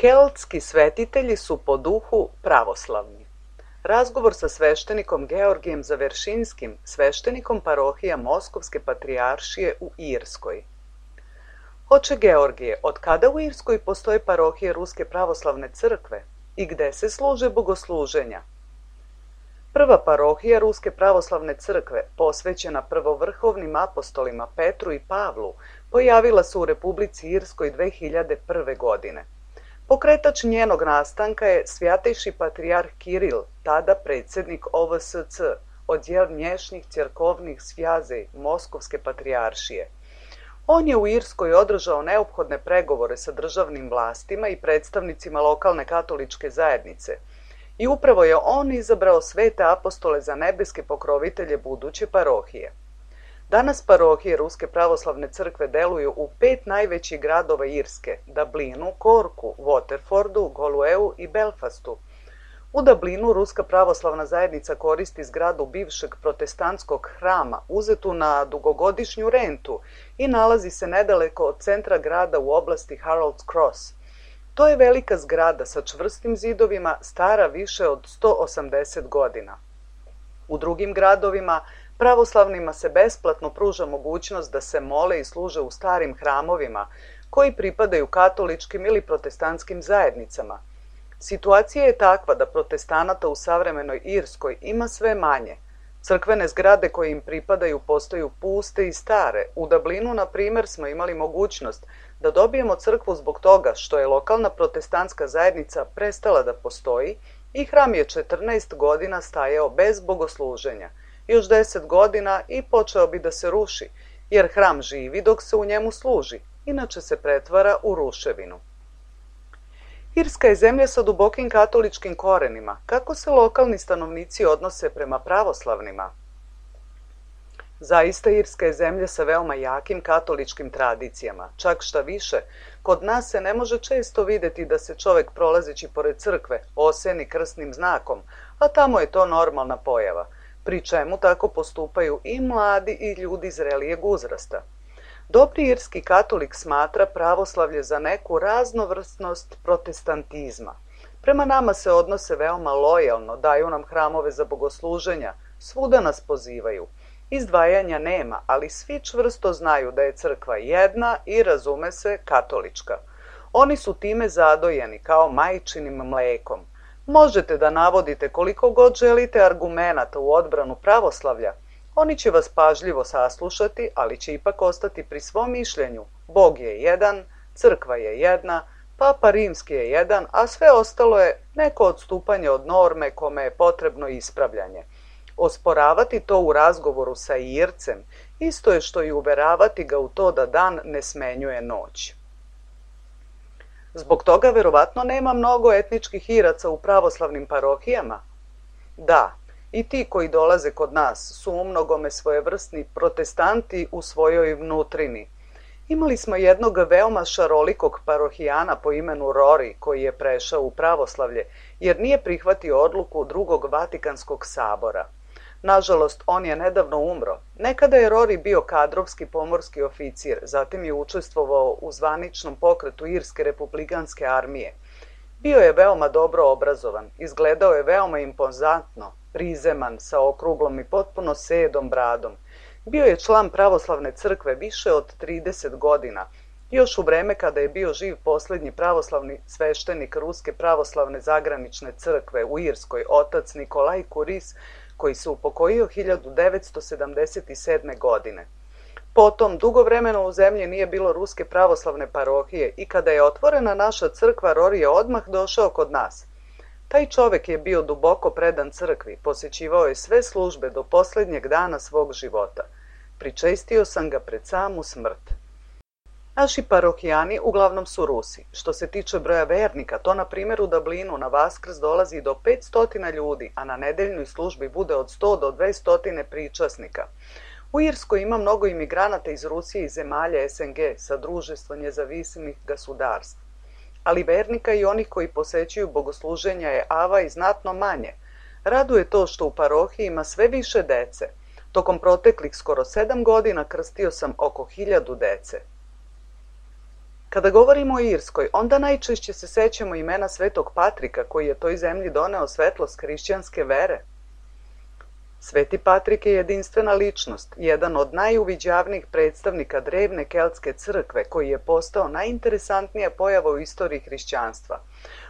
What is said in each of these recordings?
Keltski svetitelji su po duhu pravoslavni. Razgovor sa sveštenikom Georgijem Zaveršinskim, sveštenikom parohija Moskovske patrijaršije u Irskoj. Oče Georgije, od kada u Irskoj postoje parohije Ruske pravoslavne crkve i gde se služe bogosluženja? Prva parohija Ruske pravoslavne crkve, posvećena prvovrhovnim apostolima Petru i Pavlu, pojavila se u Republici Irskoj 2001. godine. Pokretač njenog nastanka je svjatejši patrijarh Kiril, tada predsjednik OVSC, odjel внешних церковных связей Moskovske patrijaršije. On je u Irskoj održao neophodne pregovore sa državnim vlastima i predstavnicima lokalne katoličke zajednice i upravo je on izabrao svete apostole za nebeske pokrovitelje buduće parohije. Danas parohije Ruske pravoslavne crkve deluju u 5 najvećih gradova Irske: Dublinu, Corku, Waterfordu, Golueu i Belfastu. U Dublinu Ruska pravoslavna zajednica koristi zgradu bivšeg protestantskog hrama, uzetu na dugogodišnju rentu, i nalazi se nedaleko od centra grada u oblasti Harold's Cross. To je velika zgrada sa čvrstim zidovima, stara više od 180 godina. U drugim gradovima pravoslavnima se besplatno pruža mogućnost da se mole i služe u starim hramovima koji pripadaju katoličkim ili protestantskim zajednicama. Situacija je takva da protestanata u savremenoj Irskoj ima sve manje. Crkvene zgrade koje im pripadaju postaju puste i stare. U Dublinu, na primjer, smo imali mogućnost da dobijemo crkvu zbog toga što je lokalna protestantska zajednica prestala da postoji i hram je 14 godina stajao bez bogosluženja. Još 10 godina i počeo bi da se ruši, jer hram živi dok se u njemu služi, inače se pretvara u ruševinu. Irska je zemlja sa dubokim katoličkim korenima. Kako se lokalni stanovnici odnose prema pravoslavnima? Zaista, Irska je zemlja sa veoma jakim katoličkim tradicijama. Čak šta više, kod nas se ne može često videti da se čovek prolazeći pored crkve oseni krsnim znakom, a tamo je to normalna pojava, pri čemu tako postupaju i mladi i ljudi zrelijeg uzrasta. Dobri irski katolik smatra pravoslavlje za neku raznovrsnost protestantizma. Prema nama se odnose veoma lojalno, daju nam hramove za bogosluženja, svuda nas pozivaju. Izdvajanja nema, ali svi čvrsto znaju da je crkva jedna i, razume se, katolička. Oni su time zadojeni kao majčinim mlekom. Možete da navodite koliko god želite argumenata u odbranu pravoslavlja, oni će vas pažljivo saslušati, ali će ipak ostati pri svom mišljenju. Bog je jedan, crkva je jedna, Papa Rimski je jedan, a sve ostalo je neko odstupanje od norme kome je potrebno ispravljanje. Osporavati to u razgovoru sa Ircem isto je što i uveravati ga u to da dan ne smenjuje noć. Zbog toga verovatno nema mnogo etničkih Iraca u pravoslavnim parohijama? Da, i ti koji dolaze kod nas su umnogome svojevrsni protestanti u svojoj vnutrini. Imali smo jednog veoma šarolikog parohijana po imenu Rory koji je prešao u pravoslavlje jer nije prihvatio odluku Drugog Vatikanskog sabora. Nažalost, on je nedavno umro. Nekada je Rory bio kadrovski pomorski oficir, zatim je učestvovao u zvaničnom pokretu Irske republikanske armije. Bio je veoma dobro obrazovan, izgledao je veoma impozantno, prizeman, sa okruglom i potpuno sedom bradom. Bio je član pravoslavne crkve više od 30 godina, još u vreme kada je bio živ posljednji pravoslavni sveštenik Ruske pravoslavne zagranične crkve u Irskoj, otac Nikolaj Kuris, koji se upokojio 1977. godine. Potom, dugo vremena u zemlji nije bilo Ruske pravoslavne parohije i kada je otvorena naša crkva, Rory je odmah došao kod nas. Taj čovek je bio duboko predan crkvi, posećivao je sve službe do posljednjeg dana svog života. Pričestio sam ga pred samu smrt. Naši parohijani uglavnom su Rusi. Što se tiče broja vernika, to na primjer u Dublinu na Vaskrs dolazi do 500 ljudi, a na nedeljnoj službi bude od 100 do 200 pričasnika. U Irskoj ima mnogo imigranata iz Rusije i zemalja SNG, sa društvo njezavisnih gasudarstv. Ali vernika i onih koji posećuju bogosluženja je ava i znatno manje. Raduje to što u parohiji ima sve više dece. Tokom proteklih skoro 7 godina krstio sam oko 1000 dece. Kada govorimo o Irskoj, onda najčešće se sećamo imena Svetog Patrika koji je toj zemlji doneo svetlost hrišćanske vere. Sveti Patrik je jedinstvena ličnost, jedan od najuviđavnijih predstavnika drevne keltske crkve koji je postao najinteresantnija pojava u istoriji hrišćanstva.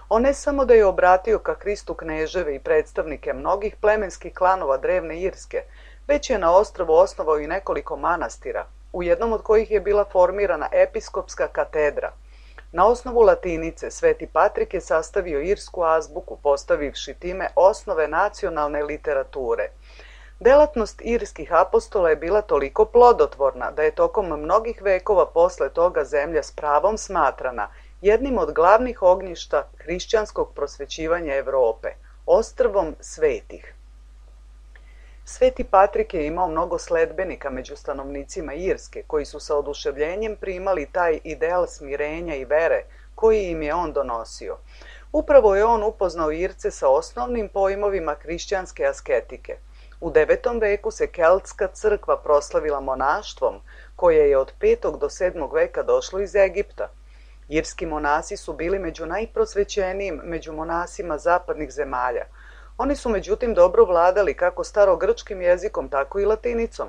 On ne samo da je obratio ka Hristu kneževe i predstavnike mnogih plemenskih klanova drevne Irske, već je na ostrvu osnovao i nekoliko manastira, u jednom od kojih je bila formirana episkopska katedra. Na osnovu latinice Sveti Patrik je sastavio irsku azbuku, postavivši time osnove nacionalne literature. Delatnost irskih apostola je bila toliko plodotvorna da je tokom mnogih vekova posle toga zemlja s pravom smatrana jednim od glavnih ognjišta hrišćanskog prosvećivanja Evrope, ostrvom svetih. Sveti Patrik je imao mnogo sledbenika među stanovnicima Irske, koji su sa oduševljenjem primali taj ideal smirenja i vere koji im je on donosio. Upravo je on upoznao Irce sa osnovnim pojmovima hrišćanske asketike. U 9. veku se keltska crkva proslavila monaštvom, koje je od 5. do 7. veka došlo iz Egipta. Irski monasi su bili među najprosvećenijim među monasima zapadnih zemalja. Oni su međutim dobro vladali kako starogrčkim jezikom, tako i latinicom.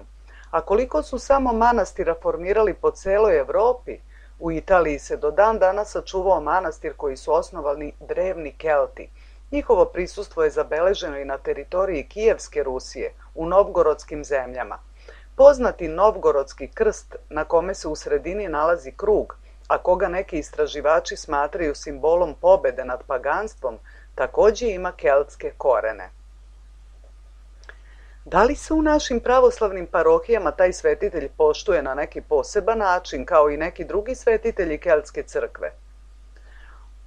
A koliko su samo manastira formirali po celoj Evropi, u Italiji se do dan danas sačuvao manastir koji su osnovali drevni Kelti. Njihovo prisustvo je zabeleženo i na teritoriji Kijevske Rusije, u novgorodskim zemljama. Poznati novgorodski krst, na kome se u sredini nalazi krug, a koga neki istraživači smatraju simbolom pobede nad paganstvom, takođe ima keltske korene. Da li se u našim pravoslavnim parohijama taj svetitelj poštuje na neki poseban način, kao i neki drugi svetitelji keltske crkve?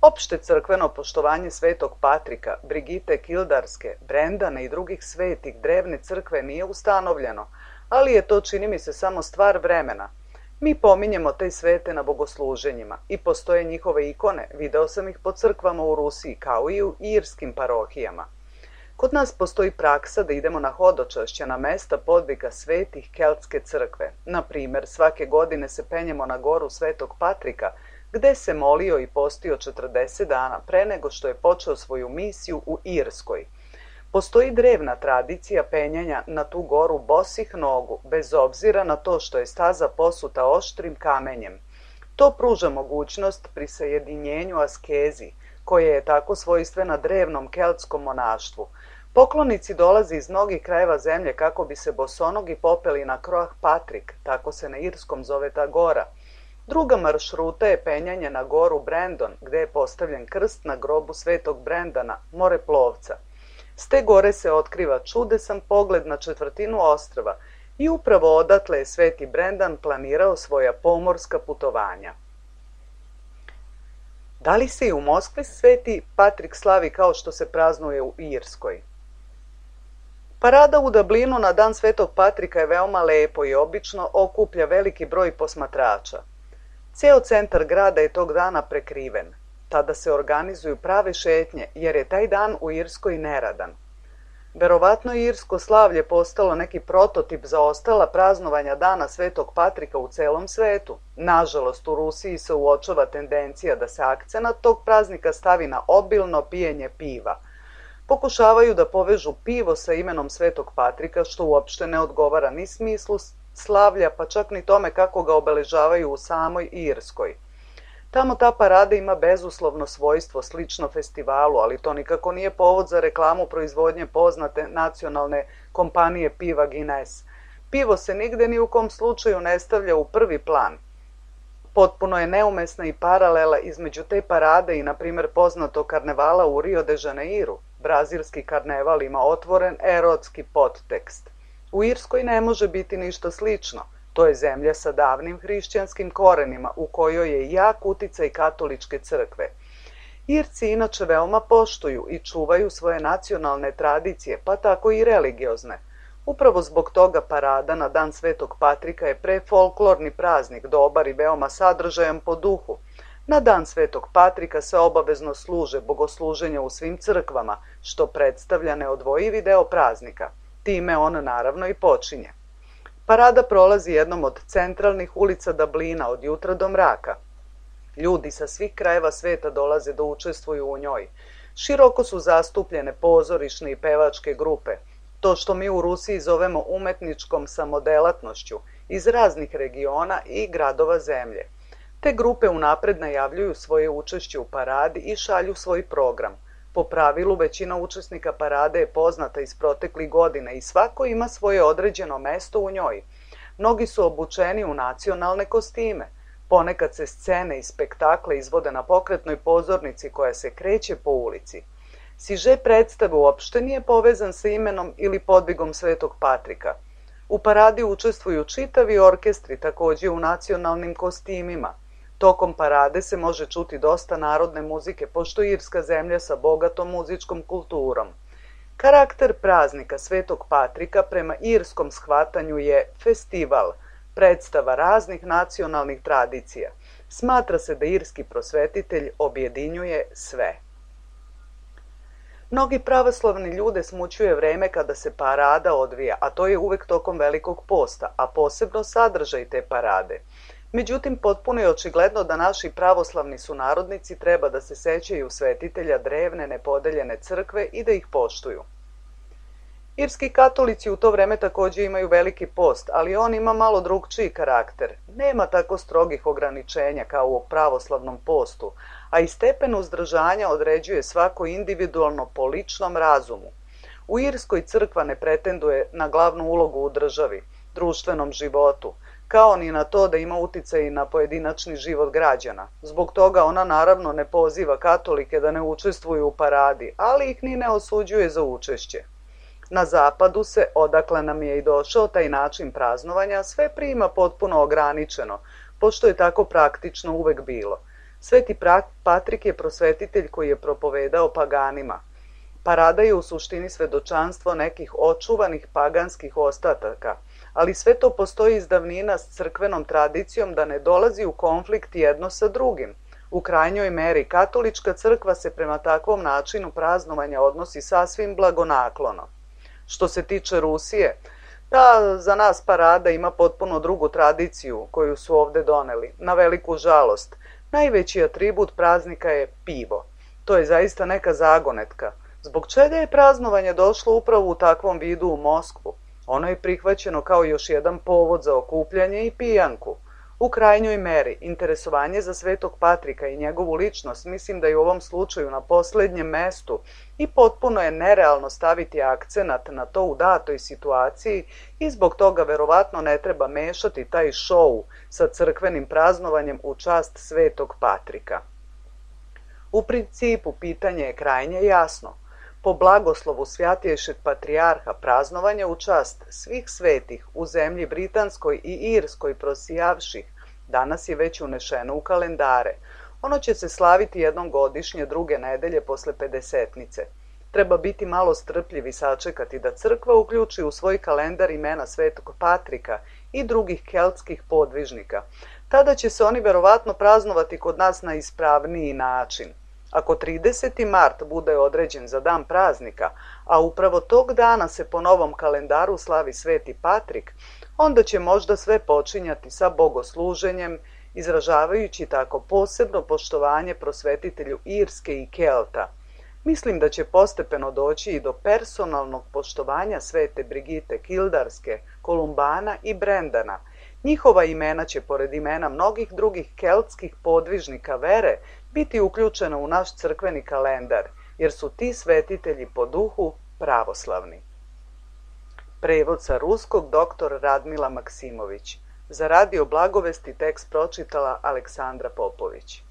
Opšte crkveno poštovanje Svetog Patrika, Brigite Kildarske, Brendana i drugih svetih drevne crkve nije ustanovljeno, ali je to, čini mi se, samo stvar vremena. Mi pominjemo te svete na bogosluženjima i postoje njihove ikone, video sam ih po crkvama u Rusiji kao i u irskim parohijama. Kod nas postoji praksa da idemo na hodočašće na mesta podviga svetih keltske crkve. Na primer, svake godine se penjemo na goru Svetog Patrika, gde se molio i postio 40 dana pre nego što je počeo svoju misiju u Irskoj. Postoji drevna tradicija penjanja na tu goru bosih nogu, bez obzira na to što je staza posuta oštrim kamenjem. To pruža mogućnost prisajedinjenju askezi, koja je tako svojstvena drevnom keltskom monaštvu. Poklonici dolaze iz mnogih krajeva zemlje kako bi se bosonogi popeli na Croagh Patrik, tako se na irskom zove ta gora. Druga maršruta je penjanje na goru Brendon, gde je postavljen krst na grobu Svetog Brendana, moreplovca. S te gore se otkriva čudesan pogled na četvrtinu ostrva i upravo odatle je Sveti Brendan planirao svoja pomorska putovanja. Da li se i u Moskvi Sveti Patrik slavi kao što se praznuje u Irskoj? Parada u Dublinu na dan Svetog Patrika je veoma lepo i obično okuplja veliki broj posmatrača. Ceo centar grada je tog dana prekriven. Tada se organizuju prave šetnje, jer je taj dan u Irskoj neradan. Verovatno je irsko slavlje postalo neki prototip za ostala praznovanja dana Svetog Patrika u celom svetu. Nažalost, u Rusiji se uočava tendencija da se akcenat tog praznika stavi na obilno pijenje piva. Pokušavaju da povežu pivo sa imenom Svetog Patrika, što uopšte ne odgovara ni smislu slavlja, pa čak ni tome kako ga obeležavaju u samoj Irskoj. Tamo ta parada ima bezuslovno svojstvo slično festivalu, ali to nikako nije povod za reklamu proizvodnje poznate nacionalne kompanije piva Guinness. Pivo se nigde ni u kom slučaju ne stavlja u prvi plan. Potpuno je neumesna i paralela između te parade i, na primjer, poznatog karnevala u Rio de Janeiru. Brazilski karneval ima otvoren erotski podtekst. U Irskoj ne može biti ništa slično. To je zemlja sa davnim hrišćanskim korenima u kojoj je jak uticaj katoličke crkve. Irci inače veoma poštuju i čuvaju svoje nacionalne tradicije, pa tako i religiozne. Upravo zbog toga parada na dan Svetog Patrika je prefolklorni praznik, dobar i veoma sadržajan po duhu. Na dan Svetog Patrika se obavezno služe bogosluženja u svim crkvama, što predstavlja neodvojivi deo praznika. Time on naravno i počinje. Parada prolazi jednom od centralnih ulica Dublina od jutra do mraka. Ljudi sa svih krajeva sveta dolaze da učestvuju u njoj. Široko su zastupljene pozorišne i pevačke grupe, to što mi u Rusiji zovemo umetničkom samodelatnošću, iz raznih regiona i gradova zemlje. Te grupe unapred najavljuju svoje učešće u paradi i šalju svoj program. Po pravilu, većina učesnika parade je poznata iz proteklih godina i svako ima svoje određeno mesto u njoj. Mnogi su obučeni u nacionalne kostime. Ponekad se scene i spektakle izvode na pokretnoj pozornici koja se kreće po ulici. Siže predstave uopšte nije povezan sa imenom ili podvigom Svetog Patrika. U paradi učestvuju čitavi orkestri, takođe u nacionalnim kostimima. Tokom parade se može čuti dosta narodne muzike, pošto je Irska zemlja sa bogatom muzičkom kulturom. Karakter praznika Svetog Patrika prema irskom shvatanju je festival, predstava raznih nacionalnih tradicija. Smatra se da irski prosvetitelj objedinjuje sve. Mnogi pravoslavni ljude smućuje vreme kada se parada odvija, a to je uvek tokom Velikog posta, a posebno sadržaj te parade. Međutim, potpuno je očigledno da naši pravoslavni sunarodnici treba da se sećaju svetitelja drevne nepodeljene crkve i da ih poštuju. Irski katolici u to vreme takođe imaju Veliki post, ali on ima malo drugčiji karakter. Nema tako strogih ograničenja kao u pravoslavnom postu, a i stepen uzdržanja određuje svako individualno po ličnom razumu. U Irskoj crkva ne pretenduje na glavnu ulogu u državi, društvenom životu, kao ni na to da ima uticaj na pojedinačni život građana. Zbog toga ona naravno ne poziva katolike da ne učestvuju u paradi, ali ih ni ne osuđuje za učešće. Na zapadu se, odakle nam je i došao taj način praznovanja, sve prima potpuno ograničeno, pošto je tako praktično uvek bilo. Sveti Patrik je prosvetitelj koji je propovedao paganima. Parada je u suštini svedočanstvo nekih očuvanih paganskih ostataka, ali sve to postoji iz davnina s crkvenom tradicijom da ne dolazi u konflikt jedno sa drugim. U krajnjoj meri katolička crkva se prema takvom načinu praznovanja odnosi sasvim blagonaklono. Što se tiče Rusije, ta za nas parada ima potpuno drugu tradiciju koju su ovde doneli. Na veliku žalost, najveći atribut praznika je pivo. To je zaista neka zagonetka. Zbog čega je praznovanje došlo upravo u takvom vidu u Moskvu? Ono je prihvaćeno kao još jedan povod za okupljanje i pijanku. U krajnjoj meri, interesovanje za Svetog Patrika i njegovu ličnost mislim da je u ovom slučaju na poslednjem mestu i potpuno je nerealno staviti akcenat na to u datoj situaciji i zbog toga verovatno ne treba mešati taj šou sa crkvenim praznovanjem u čast Svetog Patrika. U principu pitanje je krajnje jasno. Po blagoslovu Svjatjejšeg patrijarha praznovanje u čast svih svetih u zemlji Britanskoj i Irskoj prosijavših danas je već unešeno u kalendare. Ono će se slaviti jednom godišnje druge nedelje posle Pedesetnice. Treba biti malo strpljiv i sačekati da crkva uključi u svoj kalendar imena Svetog Patrika i drugih keltskih podvižnika. Tada će se oni verovatno praznovati kod nas na ispravniji način. Ako 30. mart bude određen za dan praznika, a upravo tog dana se po novom kalendaru slavi Sveti Patrik, onda će možda sve počinjati sa bogosluženjem, izražavajući tako posebno poštovanje prosvetitelju Irske i Kelta. Mislim da će postepeno doći i do personalnog poštovanja Svete Brigite Kildarske, Kolumbana i Brendana. Njihova imena će, pored imena mnogih drugih keltskih podvižnika vere, biti uključena u naš crkveni kalendar, jer su ti svetitelji po duhu pravoslavni. Prevod sa ruskog dr. Radmila Maksimović. Za Radio Blagovesti tekst pročitala Aleksandra Popović.